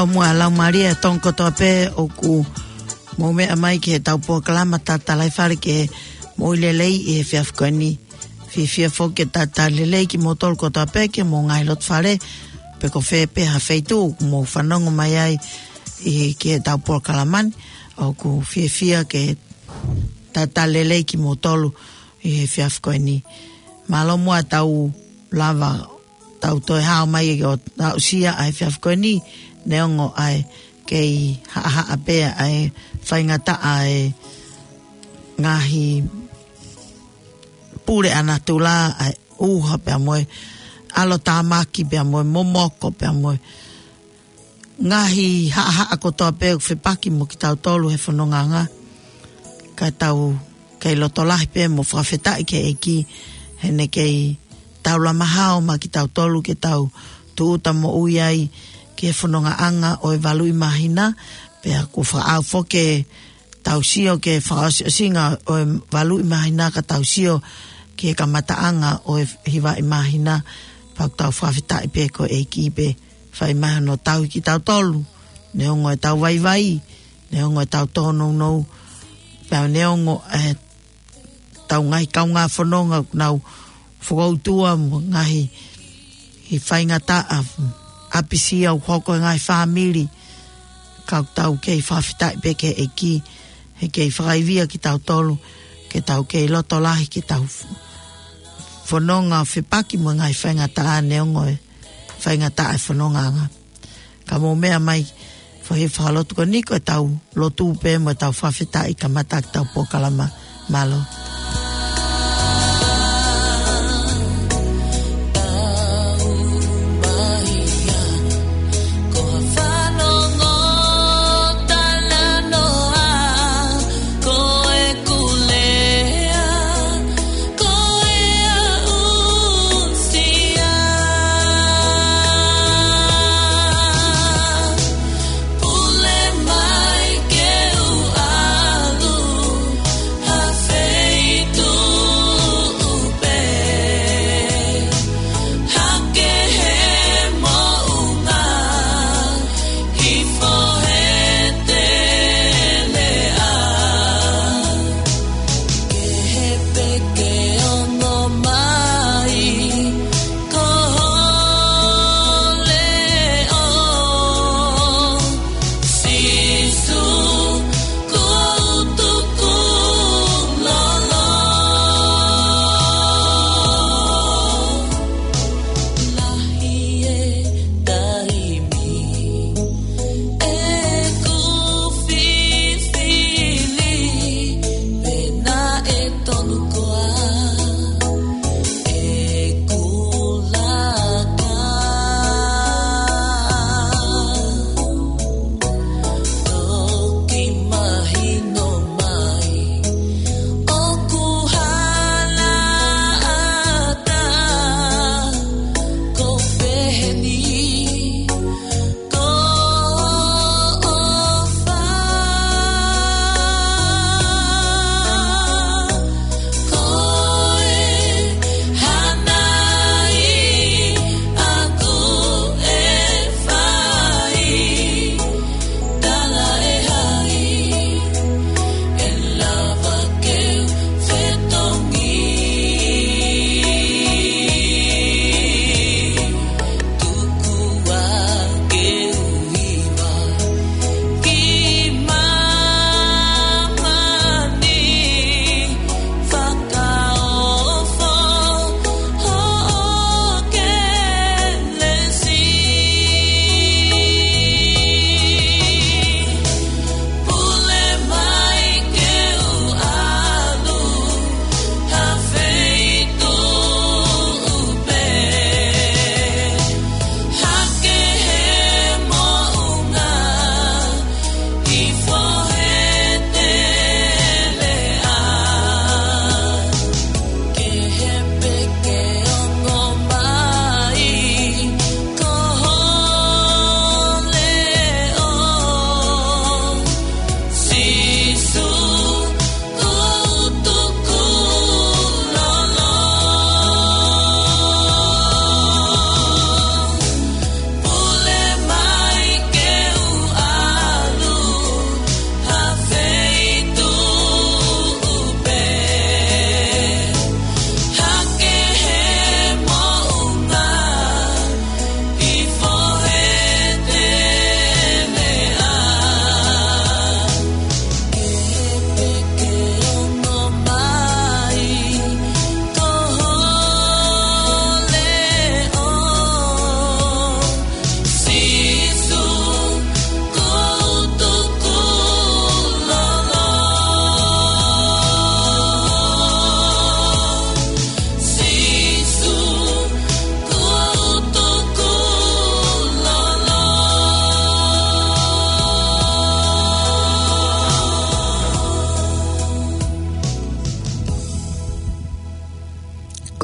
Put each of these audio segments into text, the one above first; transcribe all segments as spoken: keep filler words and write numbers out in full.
ʻOmai ʻa e laumālie ʻa e Tonga kotoa pē ʻoku mou meʻa mai ki heʻetau polokalama Tatalaifale ke mou lelei ʻi he efiafi ko eni. Fiefia foki ke talitali lelei kimoutolu kotoa pē ki homou ngaahi loto fale, pe ko fē pē ha feituʻu ʻoku mou fanongo mai ai ʻi he, ki heʻetau polokalama ni, ʻoku fiefia ke talitali lelei kimoutolu ʻi he efiafi ko eni. Mālō muʻa ʻetau lava ʻetau toe hao mai ʻo aʻusia ʻa e efiafi ko eni, neongo ʻa e kei haʻahaʻa pē ʻa e faingataʻa ʻa e ngaahi puleʻanga natula, ʻa e ʻuha pea mo e ʻalotāmaki pea mo e momoko pea mo e ngaahi haʻahaʻa kotoa pē ʻoku fepaki mo kitautolu he fonongaʻanga. Ka tau kei loto lahi pē mo fakafetaʻi ki he ʻEiki heʻene kei taulama hao mai kitautolu ke tau tūʻuta moʻui ai ki he fonongaʻanga ʻo e valuʻi māhina, pea ʻoku fakaʻau foki ke tau sio ki he fakaʻosiʻosinga ʻo e valuʻi māhina ka tau sio ki he kamataʻanga ʻo e hivaʻi māhina, pea ʻoku tau fakafetaʻi pē ko e ʻEiki pē fai mai hono tauhi kitautolu, neongo ʻetau vaivai, neongo ʻetau tōnounou, pea neongo ʻetau ngaahi kaungā fononga ʻoku nau fokoutua mo e ngaahi faingataʻa ʻapisia ʻoku hoko he ngaahi fāmili, ka ʻoku tau kei fakafetaʻi pē ki he ʻEiki, he kei fakaivia kitautolu, ke tau kei loto lahi, ke tau fononga fepaki mo e ngaahi faingataʻa neongo e faingataʻa e fonongaʻanga. Ka mou meʻa mai, fai e fakalotu ko eni ko ʻetau lotu pē mo ʻetau fakafetaʻi kamata ʻetau polokalama. Mālō.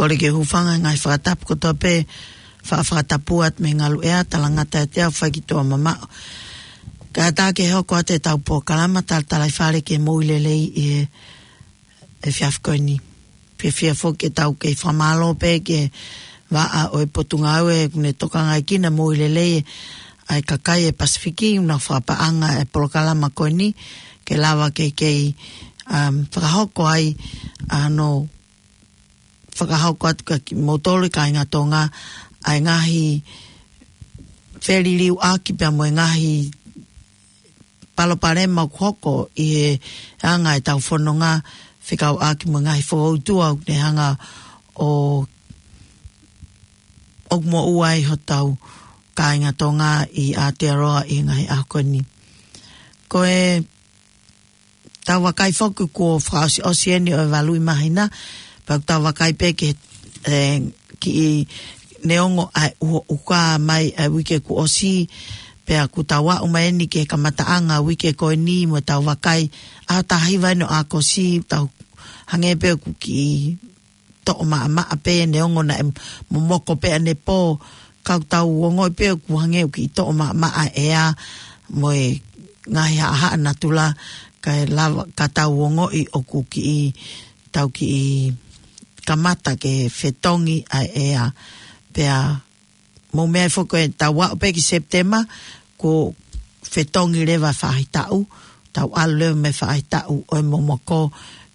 Kole ke u hūfanga he ngaahi fakatapu kotoa pē, fa-, fakatapu atu mei he ngaluʻea, talangata ʻiate au, fai ki tuʻa mamaʻo. Kae ʻatā ke hoko atu ʻetau polokalama Talatalaifale ki he moʻui lelei ʻi he efiafi ko eni. Fiefia foki ke tau kei fakamālō pē ki he vaʻa ʻo e Potungāue kuo ne tokangaʻi kinautolu moʻui lelei ʻa e kakai ʻo e Pasifiki, ʻoku nau fakapaʻanga e polokalama ko eni, ke lava ke kei, um, fakahoko ai, ʻa hono fakahoko atu kia kimoutolu kāinga Tonga, ʻa e ngaahi feliliuaki pea mo e ngaahi palopalema ʻoku hoko ʻi he anga ʻetau fononga fekauʻaki mo e ngaahi fokoutua ʻoku ne hanga ʻo, ʻoku moʻua ai hotau kāinga Tonga ʻi Aotearoa ʻi he ngaahi ʻaho ko eni. Ko ʻetau vakai foki kuo fakaʻosiʻosi eni ʻo e valu ʻi māhina, pea ʻoku tau vakai pē ki he, ē, kiʻi neongo ʻa e ʻuhoʻuha mai ʻa e uike kuo ʻosi, pea ʻoku tau aʻu mai eni ki he kamataʻanga uike ko eni mo ʻetau vakai ʻaho taha hiva eni ʻo ʻAokosi, tau hangē pē ʻoku kiʻi toʻo maʻamaʻa pē neongo naʻe momoko pē ʻanepō, ka ʻoku tau ongoʻi pē ʻoku hangē ʻoku kiʻi toʻo maʻamaʻa e ʻea mo e ngaahi haʻahaʻa natula, kae lava ka tau ongoʻi ʻoku kiʻi, tau kiʻi kamata ke fetongi ʻa e ʻea. Pea mou meaʻi foki ko ʻetau aʻu pē ki Sepitema, kuo fetongi leva faʻahitaʻu, tau ʻalu leva mei faʻahitaʻu ʻo e momoko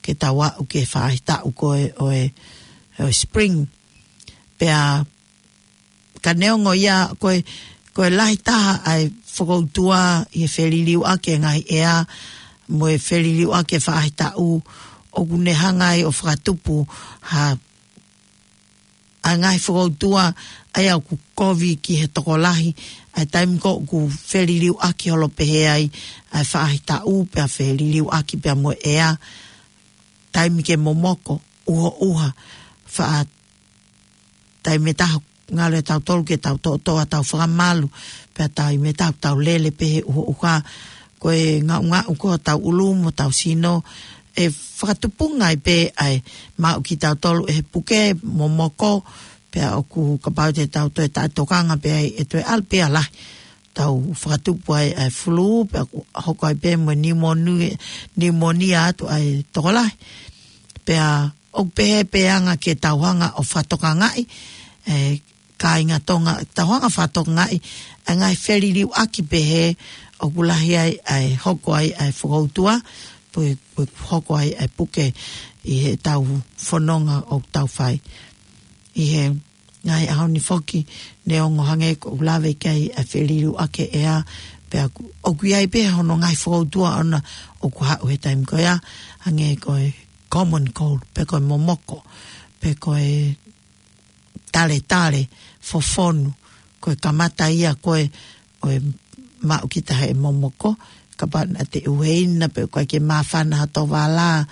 ke tau aʻu ki he faʻahitaʻu ko ē ʻo e, ʻo e spring. Pea ka neongo ia, ko e, ko e lahi taha ʻa e fokoutua ʻi he feliliuaki e ngaahi ʻea, mo e feliliuaki e faʻahitaʻu, ʻoku ne hanga ai ʻo fakatupu ha ʻa e ngaahi fokoutua, ʻa ia ʻoku kovi ki he tokolahi, ʻa e taimi ko ē ʻoku feliliuaki holo pehē ai ʻa e faʻahitaʻu, pea feliliuaki pea mo e ʻea, taimi ke momoko, ʻuhoʻuha, faʻa taimi ʻe taha ngalo ʻe tautolu ke tau toʻotoʻo ʻetau fakamalu, pea taimi ʻe taha tau lele pē he ʻuhoʻuha, ko e ngaʻungaʻu ko ē hotau ʻulu mo hotau sino, ʻe fakatupunga ai pē ʻa e maʻu kitautolu ʻe he puke, momoko, pea ʻoku kapau te tau toe taʻetokanga pē ai ʻe toe ʻalu pē ʻa lahi. Tau fakatupu ai ʻa e fulū, pea ʻoku hoko ai pē mo e niumoni-, niumonia atu ʻa e tokolahi. Pea ʻoku pehē pē anga ke tau hanga ʻo fakatokangaʻi, ē, kāinga Tonga, tau hanga fakatokangaʻi ʻa e ngaahi feliliuaki pehē ʻoku lahi ai ʻa e hoko ai ʻa e fokoutua, pe ʻoku hoko ai ʻa e puke ʻi heʻetau fononga ʻoku tau fai. ʻI he ngaahi ʻaho ni foki, neongo hangē ʻoku lave ki ai ʻa e feliliuaki e ʻea, pea ʻoku, ʻoku ʻi ai pē hono ngaahi fokoutua ʻona ʻoku haʻu he taimi ko ia, hangē ko e common cold, pe ko e momoko, pe ko e taletale fofonu, ko e kamata ia ko ē ʻo e maʻu kita he momoko, kapau naʻa te ʻuheina pe ʻoku ʻikai ke māfana hato vala,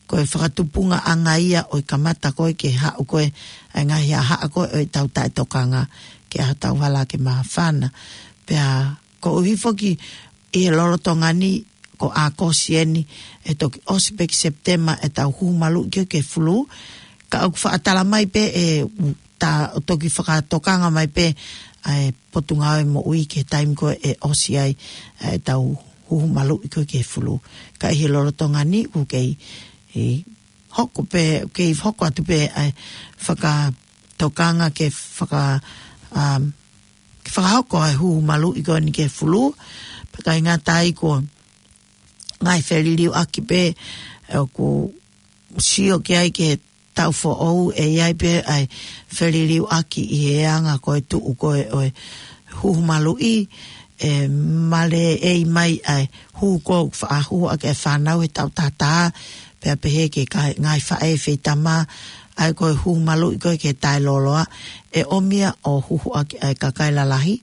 ko e fakatupungaʻanga ia ʻo e kamata ko ē ke haʻu ko ē ʻa e ngaahi haʻahaʻa ko ē ʻo ʻetau taʻetokanga ke ʻai hatau vala ke māfana. Pea koeʻuhi foki ʻi he lolotonga ni, ko ʻAokosi eni, ʻe toki ʻosi pē ki Sepitema ʻetau huhu maluʻi ko ē ki he fulū, ka ʻoku faʻa tala mai pē ʻe ta-, ʻo toki fakatokanga mai pē ʻa e Potungāue Moʻui ki he taimi ko ē ʻe ʻosi ai ʻa ʻetau huhu maluʻi ko ē ki he fulū. Ka ʻi he lolotonga ni, ʻoku kei, ʻi hoko pē, kei hoko atu pē ʻa e fakatokanga ke faka-, um, ke fakahoko ʻa e huhu maluʻi ko eni ki he fulū, pea ʻikai ngata ai ko e ngaahi feliliuaki pē, ē, ʻoku sio ki ai ki he taʻu foʻou, ʻe ʻi ai pē ʻa e feliliuaki ʻi he anga ko ē tuʻu ko ē ʻo e huhu maluʻi, ʻe maleʻei mai ʻa e huhu ko ē ʻoku faʻa huhu ʻaki ʻa e fānau he taʻu taha taha, pea pehē ki he ngaahi faʻē feitama, ʻa ia ko e huhu maluʻi ko ē ki he taʻelōloa, ʻe ʻomi ia ʻo huhu ʻaki ʻa e kakai lalahi,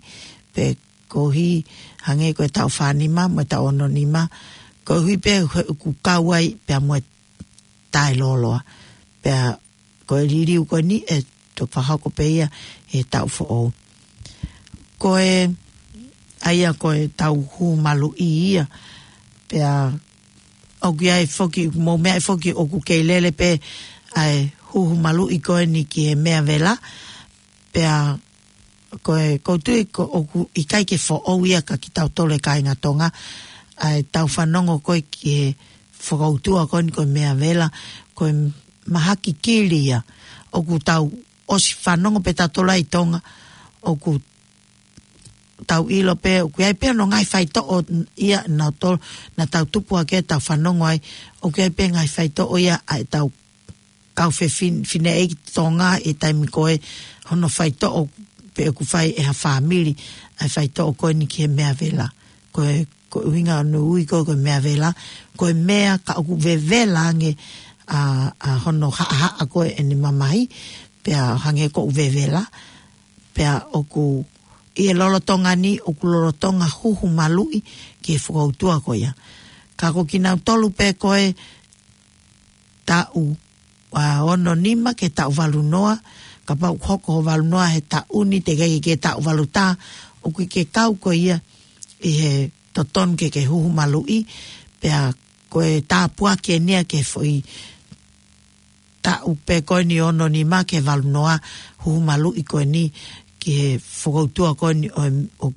pe koeʻuhi hangē ko e taʻu fā nima mo e taʻu ono nima, koeʻuhi pē he ʻoku kau ai pea mo e taʻelōloa. Pea ko e liliu ko eni ʻe toki fakahoko pē ia he taʻu foʻou. Ko e, ʻa ia ko ʻetau huhu maluʻi ia, pea ʻoku ʻi ai foki, mou meaʻi foki ʻoku kei lele pē ʻa e huhu maluʻi ko eni ki he meʻa vela, pea ko e, ʻoku ou tui ko ʻoku ʻikai ke foʻou ia kia kitautolu e kāinga Tonga, ʻa e tau fanongo ko ē ki he fokoutua ko eni ko e meʻa vela, ko e mahaki kili ia, ʻoku tau ʻosi fanongo pē tautolu ʻi Tonga, ʻoku tau ʻilo pē, ʻoku ʻi ai pē hono ngaahi faitoʻo ia naʻa tau, naʻa tau tupu hake tau fanongo ai, ʻoku ʻi ai pē ngaahi faitoʻo ia ʻa e tau kau fefin-, fineʻeiki Tonga ʻi he taimi ko ē hono faitoʻo pē ʻoku fai ʻe ha fāmili, ʻa e faitoʻo ko eni ki he meʻa vela. Ko e, ko e ʻuhinga ʻoku ui ko ē ko e meʻa vela, ko e meʻa ka ʻoku vevela ange ʻa, ʻa hono haʻahaʻa ko ē ʻene mamahi, pea hangē ʻoku vevela, pea ʻoku ʻi he lolotonga ni, ʻoku lolotonga huhu maluʻi ki he fokoutua ko ia. Ka ko kinautolu pē ko ē taʻu, ʻa, ono nima ki he taʻu valu noa, kapau ʻoku hoko ho valu noa he taʻu ni teʻeki ke taʻu valu taha, ʻoku ʻikai ke kau koe ia ʻi he totonu ke ke huhu maluʻi, pea ko e tāpuaki eni ia ki he foʻi taʻu pē ko eni ono nima ki he valu noa, huhu maluʻi ko eni ki he fokoutua ko eni ʻo, ʻo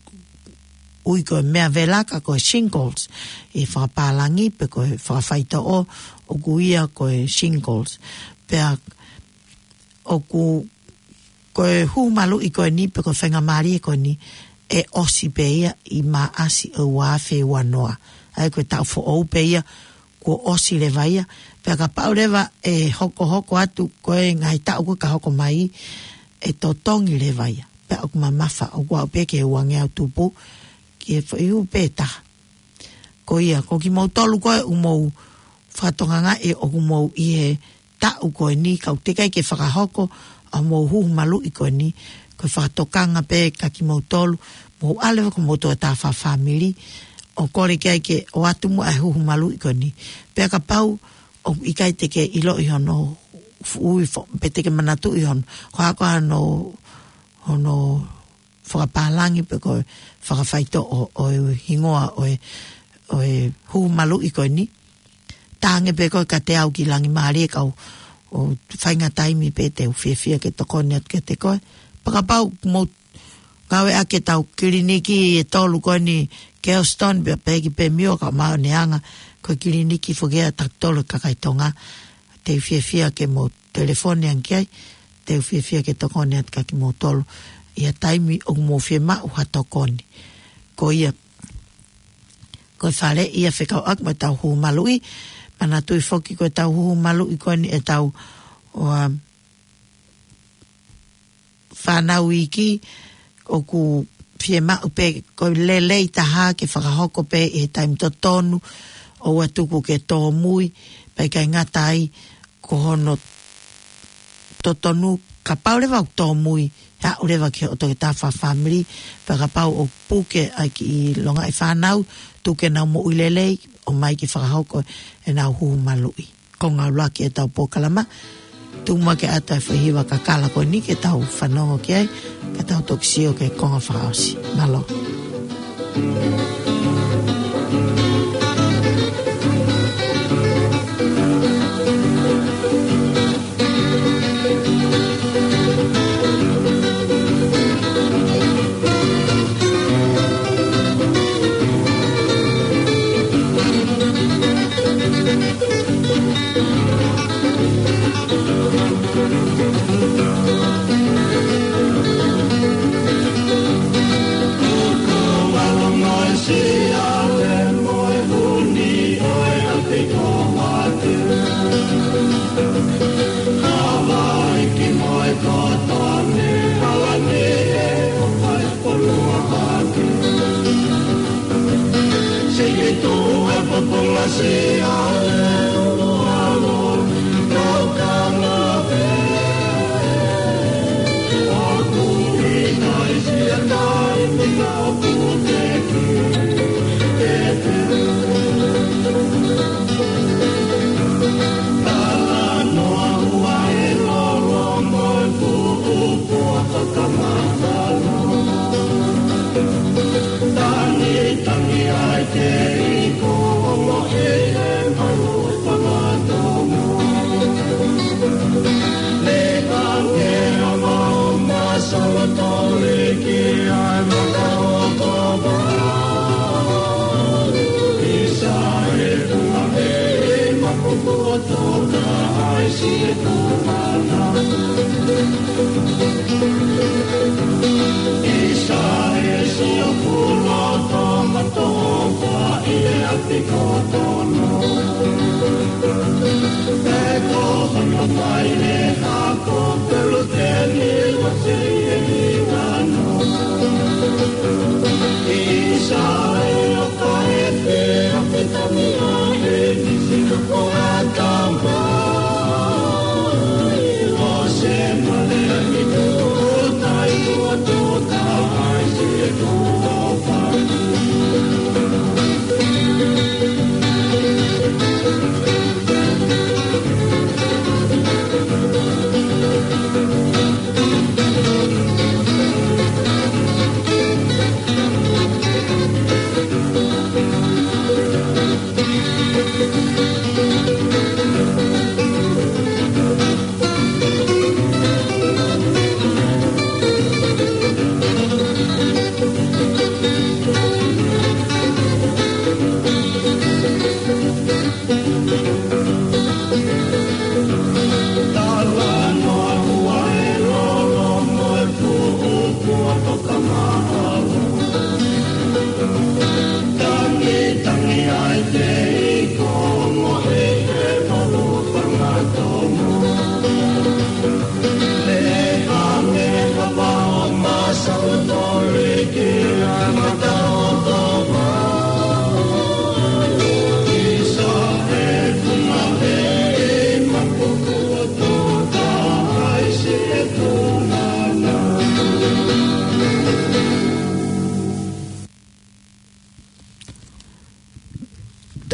ui ko e meʻa vela ka ko e shingles ʻi he fakapālangi pe ko e fakafaitoʻo ʻoku ui ia ko e shingles. Pea ʻoku, ko e huhu maluʻi ko eni pe ko e faingamālie ko eni ʻe ʻosi pē ia ʻi Maʻasi ʻo e ua afe ua noa. ʻA ia ko e taʻu foʻou pē ia kuo ʻosi leva ia. Pea kapau leva ʻe hokohoko atu ko e ngaahi taʻu ko ē ka hoko mai, ʻe totongi leva ia. Pea ʻoku mamafa, ʻoku aʻu pē ki he ua ngeau tupu, ki he foʻi huhu pē taha. Ko ia, ko kimoutolu ko ē ʻoku mou fakatokangaʻi ʻoku mou ʻi he taʻu ko eni, ka ʻoku teʻeki ai ke fakahoko ʻa hoʻomou huhu maluʻi ko eni, ko e fakatokanga pē kia kimoutolu, mou ʻalu leva ki homou tokotaha fakafāmili, ʻo kole ki ai ke ʻoatu muʻa e huhu maluʻi ko eni. Pea kapau ʻoku ʻikai te ke ʻiloʻi hono fuʻu ui fo-, pe te ke manatuʻi hono, ko e hā ko ā hono, hono fakapālangi pe ko e fakafaitoʻo ʻo, ʻo e hingoa ʻo e, ʻo e huhu maluʻi ko eni. Tangi pē koe kiate au ki Langimālie kau ʻo faingataʻa taimi pē te u fiefia ke tokoni atu kiate koe. Pea kapau mou ngāueʻaki ʻetau kiliniki ʻe tolu ko eni Kelston, pea pehē ki Pemio ka maʻoneʻanga, ko e kiliniki foki ia ʻa tautolu kakai Tonga. Te u fiefia ke mou telefoni ange ki ai, te u fiefia ke tokoni atu kia kimoutolu ʻi ha taimi ʻoku mou fiemaʻu ha tokoni. Ko ia, ko e faleʻi ia fekauʻaki mo ʻetau huhu maluʻi, manatuʻi foki ko ʻetau huhu maluʻi ko eni ʻetau, ʻo, ʻa, fānau iiki, ʻoku fiemaʻu pē ko e lelei taha ke fakahoko pē ʻi he taimi totonu, ʻoua tuku ke tōmui, pea ʻikai ngata ai, ko hono totonu, kapau leva ʻoku tōmui, aʻu leva ki hoʻo tokotaha fakafāmili, pea kapau ʻoku puke ʻa e kiʻi longaʻi fānau, tuku ke nau moʻui lelei, ʻomai ke fakahoko ʻenau huhu maluʻi. Konga ʻuluaki ʻetau polokalama, tuku muʻa ke ʻoatu e foʻi hiva kakala ko eni ke tau fanongo ki ai, ka tau toki sio ki he konga fakaʻosi. Mālō.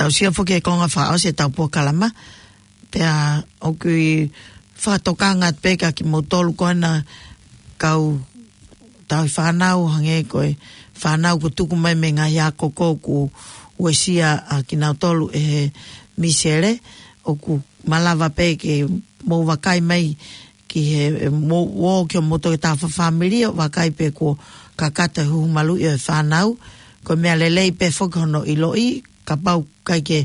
Tau sio foki he konga fakaʻosi ʻetau polokalama. Pea ʻoku ou fakatokanga pē kia kimoutolu ko ena kau tauhi fānau, hangē ko e fānau kuo tuku mai mei he ngaahi ako ko ē kuo uesia ʻa kinautolu ʻe he misele, ʻoku malava pē ke mou vakai mai ki he, ʻe, mou ō ki hoʻomou toketā fakafāmili ʻo vakai pe kuo kakato e huhu maluʻi ʻo e fānau. Ko e meʻa lelei pē foki hono ʻiloʻi, kapau ʻoku ʻikai ke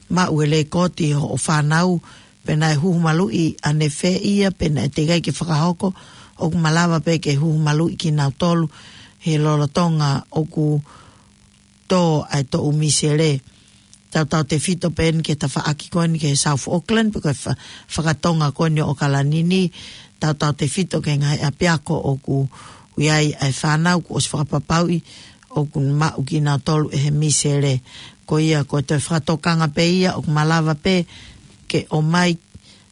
maʻu e lekooti hoʻo fānau pe naʻe huhu maluʻi ʻanefē ia pe naʻe teʻeki ai ke fakahoko, ʻoku malava pē ke huhu maluʻi kinautolu he lolotonga ʻoku tō ai e toʻu misele. Tautautefito pē eni ki he tafaʻaki ko eni ki he South Auckland, pe ko e fa-, fakatonga ko eni ʻo ʻAokalani ni, tautautefito ki he ngaahi ʻapiako ʻoku ʻi ai ʻa e fānau kuo ʻosi fakapapauʻi ʻoku maʻu kinautolu ʻe he misele. Ko ia, ko e toe fakatokanga pē ia, ʻoku malava pē ke ʻomai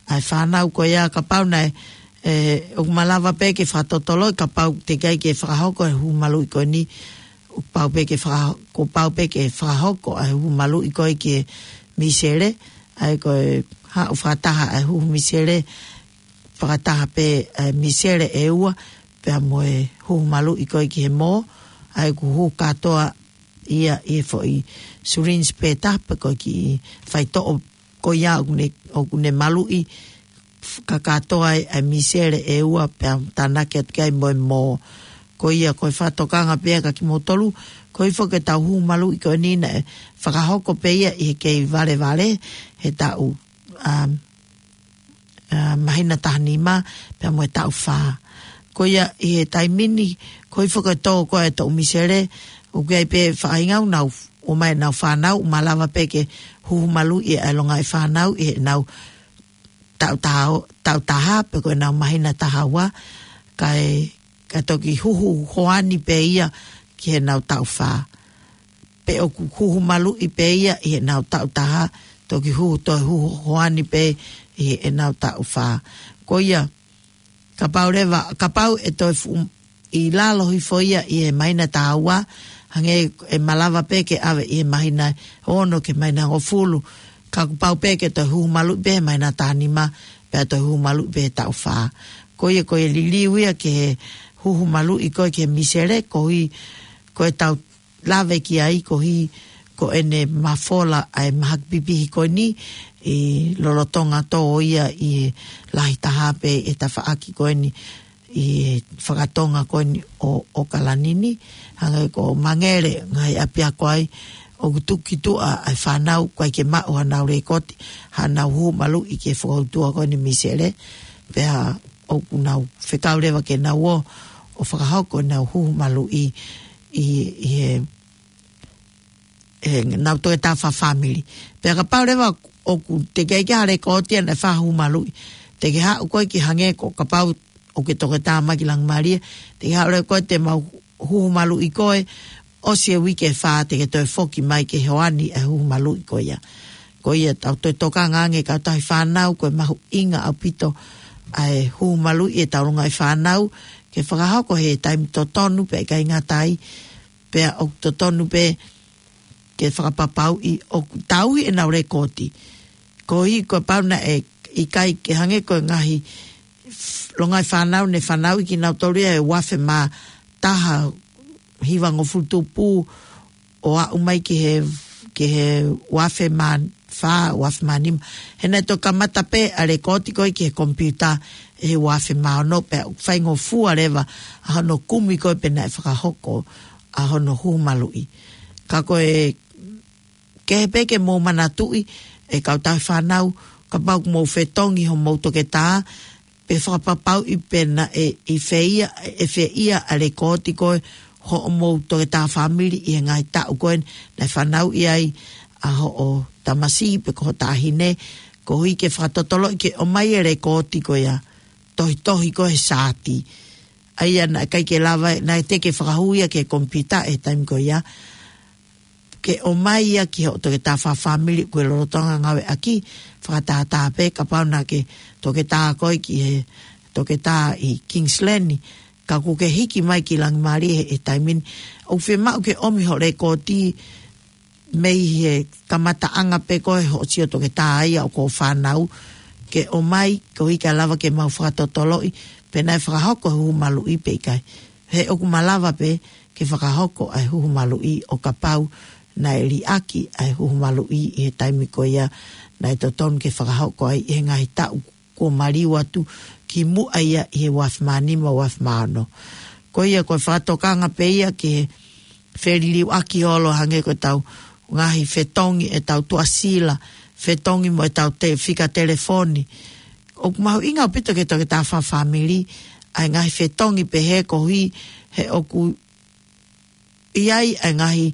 ʻa e fānau ko ia, kapau naʻe, ʻe, ʻoku malava pē ke fakatotoloʻi kapau teʻeki ai ke fakahoko e huhu maluʻi ko eni, ʻoku pau pē ke faka-, kuo pau pē ke fakahoko ʻa e huhu maluʻi ko ē ki he misele, ʻa ia ko e haʻu fakataha ʻa e huhu misele, fakataha pē ʻa e misele ʻe ua, pea mo e huhu maluʻi ko ē ki he mō, ʻa ia ʻoku huhu kātoa ia ʻi he foʻi syringe pē taha pe ko e kiʻi faitoʻo ko ia ʻoku ne, ʻoku ne maluʻi, f-, kakato ai ʻa e misele ʻe ua pea tānaki atu ki ai mo e mō. Ko ia, ko e fakatokanga pē ia kia kimoutolu, ko e foʻi ke tau huhu maluʻi ko eni naʻe fakahoko pē ia ʻi he kei valevale, he taʻu, um, ʻa, māhina taha nima, pea mo e taʻu fā. Ko ia ʻi he taimi ni, ko e foʻi ke tō ko ē e toʻu misele, ʻoku ʻi ai pē faʻahinga ʻoku nau, ʻomai ʻenau fānau, ʻoku malava pē ke huhu maluʻi ʻa e longaʻi fānau ʻi heʻenau taʻu taha, taʻu taha, pe ko ʻenau māhina taha ua, kae, kae toki huhu hoani pē ia ki heʻenau taʻu fā. Pe ʻoku huhu maluʻi pē ia ʻi heʻenau taʻu taha, toki huhu toe huhu hoani pē ʻi heʻenau taʻu fā. Ko ia, kapau leva, kapau ʻe toe fuʻu ʻi lalo hifo ia ʻi he māhina taha ua, hangē ʻe malava pē ke ʻave ʻi he māhina ono ki he māhina hongofulu, ka kuo pau pē ke toe huhu maluʻi pē he māhina taha nima, pea toe huhu maluʻi pē he taʻu fā. Ko ia, ko e liliu ia ki he huhu maluʻi ko ē ki he misele, koeʻuhi, ko e tau lave ki ai koeʻuhi ko ʻene mafola ʻa e mahaki pipihi ko eni ʻi lolotonga tō ia ʻi he lahi taha pē ʻi he tafaʻaki ko eni ʻi he fakatonga ko eni ʻo, ʻo ʻAokalani ni, hangē ko Mangere, ngaahi ʻapiako ai, ʻoku tuku ki tuʻa ʻa e fānau, ʻikai ke maʻu haʻanau lekooti, haʻanau huhu maluʻi ki he fokoutua ko eni Misele, pea ʻoku nau fekau leva ke nau ō ʻo fakahoko ʻenau huhu maluʻi ʻi, ʻi he, ʻenau toketā fakafāmili. Pea kapau leva ʻoku teʻeki ai ke ʻi ai ha lekooti ʻa e fakahuhu maluʻi, te ke haʻu koe ki hangē ko kapau ʻoku ke toketā mai ki Langimālie, te ke haʻu leva koe te mau huhu maluʻi koe, ʻosi e uike ʻe fā te ke toe foki mai ke hoani ʻa e huhu maluʻi ko ia. Ko ia tau toe tokanga ange kautaha fānau, ko e mahuʻinga ʻaupito ʻa e huhu maluʻi ʻetau longaʻi fānau, ke fakahoko he taimi totonu pea ʻikai ngata ai, pea ʻoku totonu pē ke fakapapauʻi ʻoku tauhi ʻenau lekooti. Koeʻuhi kapau naʻe ʻikai ke hangē ko e ngaahi f-, longaʻi fānau ne fanauʻi kinautolu ia he uaafe mā taha hivangofulu tupu ʻo aʻu mai ki he, ki he uaafe mā fā, uaafe mā nima. He naʻe toki kamata pē ʻa e lekooti ko ē ki he komipiuta he uaafe mā ono pea ʻoku faingofua leva ʻa hono kumi ko ē pe naʻe fakahoko ʻa hono huhu maluʻi. Ka ko e kehe pē ke mou manatuʻi ʻe kautaha fānau, kapau ʻoku mou fetongi homou toketā, pe fakapapauʻi pe naʻe ʻi fē ia, ʻe fē ia ʻa e lekooti ko ē hoʻomou toketā fāmili ʻi he ngaahi taʻu ko ē naʻe fanauʻi ai ʻa hoʻo tamasiʻi pe ko ho taʻahine, koeʻuhi ke fakatotoloʻi ke ʻomai e lekooti ko ia, tohitohi ko ē he saati. ʻA ia naʻe ʻikai ke lava, naʻe teʻeki ke fakahū ia ki he komipiuta he taimi ko ia, ke ʻomai ia ki hoʻo toketā fakafāmili ʻoku ke lolotonga ngāueʻaki, fakatātā pē kapau naʻa ke toketā koe ki he toketā ʻi Kingsland, ka kuo ke hiki mai ki Langimālie he, he taimi ni. ʻOku fiemaʻu ke ʻomi hoʻo lekooti mei he kamataʻanga pē ko ē hoʻo sio toketā ia ʻo ko e fānau, ke ʻomai koeʻuhi ke lava ke mau fakatotoloʻi pe naʻe fakahoko e huhu maluʻi pe ʻikai. He ʻoku malava pē ke fakahoko ʻa e huhu maluʻi ʻo kapau naʻe liʻaki ʻa e huhu maluʻi ʻi he taimi ko ia naʻe totonu ke fakahoko ai ʻi he ngaahi taʻu kuo maliu atu kimuʻa ia ʻi he uaafe mā nima, uaafe mā ono. Ko ia ko e fakatokanga pē ia ke feliliuaki holo hangē ko ʻetau ngaahi fetongi ʻetau tuʻasila, fetongi mo ʻetau te-, fika telefoni. ʻOku mahuʻinga ʻaupito ki he toketā fakafāmili ʻa e ngaahi fetongi pehē koeʻuhi he ʻoku ʻi ai ʻa e ngaahi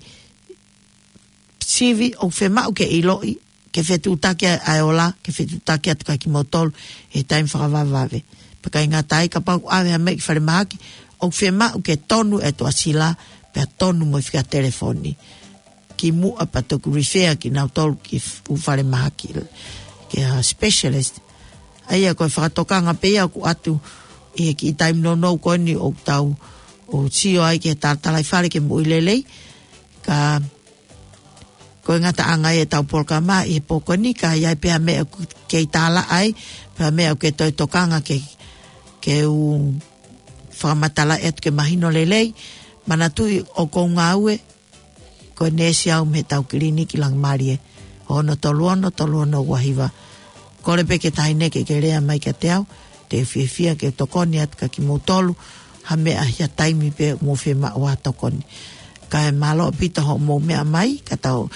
sivi ʻoku fiemaʻu ke ʻiloʻi, ke fetuʻutaki ʻa e ola, ke fetuʻutaki atu kia kimoutolu he taimi fakavavevave. Pea ʻikai ngata ai kapau ʻoku ʻave ha meʻa ki falemahaki, ʻoku fiemaʻu ke tonu e tuʻasila, pea tonu mo e fika telefoni kimuʻa pea toki refer kinautolu ki f-, ʻū falemahaki, ki ha specialist. ʻA ia ko e fakatokanga pē ia ʻoku ʻoatu ʻi he kiʻi taimi nounou ko eni ʻoku tau ō ʻo sio ai ki he talatalaifale ke moʻui lelei. Ka ko e ngataʻanga ia ʻetau polokalama ʻi he pō ko eni, ka ʻi ai pē ha meʻa ʻoku kei tālaʻa ai, pe ha meʻa ʻoku ke toe tokanga ke, ke u fakamatalaʻi atu ke mahino lelei, manatuʻi ʻoku ou ngāue ko e neesi au mei heʻetau kiliniki Langimālie, ono tolu ono, tolu ono ua hiva. Kole pē ki he taʻahine ke ke lea mai kiate au, te u fiefia ke tokoni atu kia kimoutolu ha meʻa ʻi ha taimi pē ʻoku mou fiemaʻu ha tokoni. Kae mālō ʻaupito hoʻomou meʻa mai, ka tau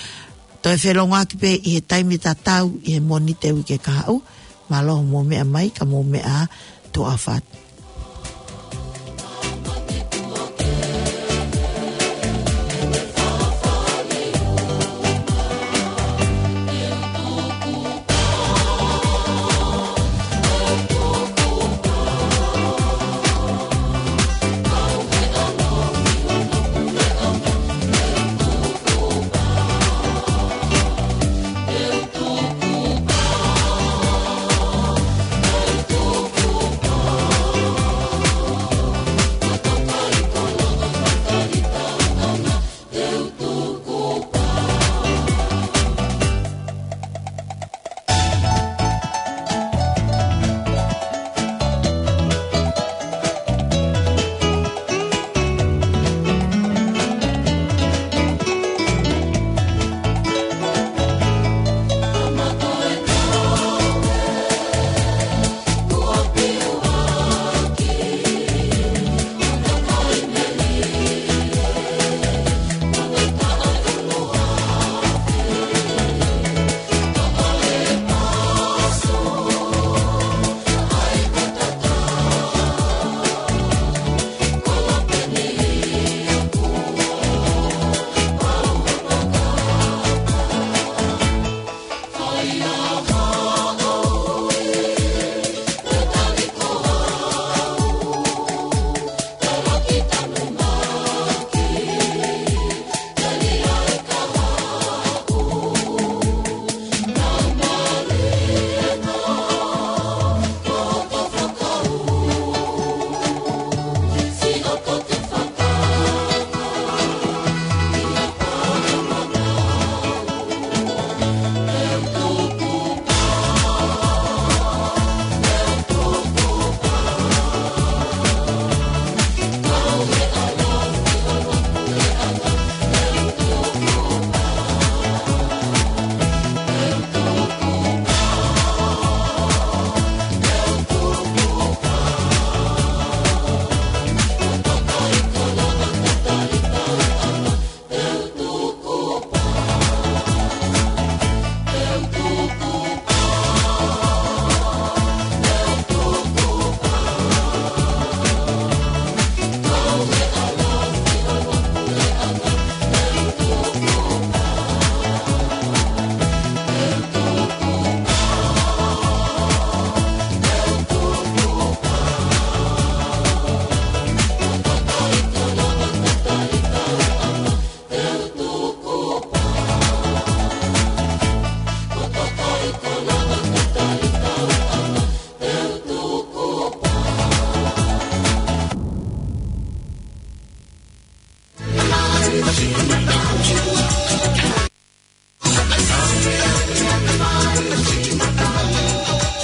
toe felōngoaki pē ʻi he taimi tatau ʻi he Mōnite uike kahaʻu. Mālō hoʻomou meʻa mai, ka mou meʻa ā, tuʻa ʻofa atu.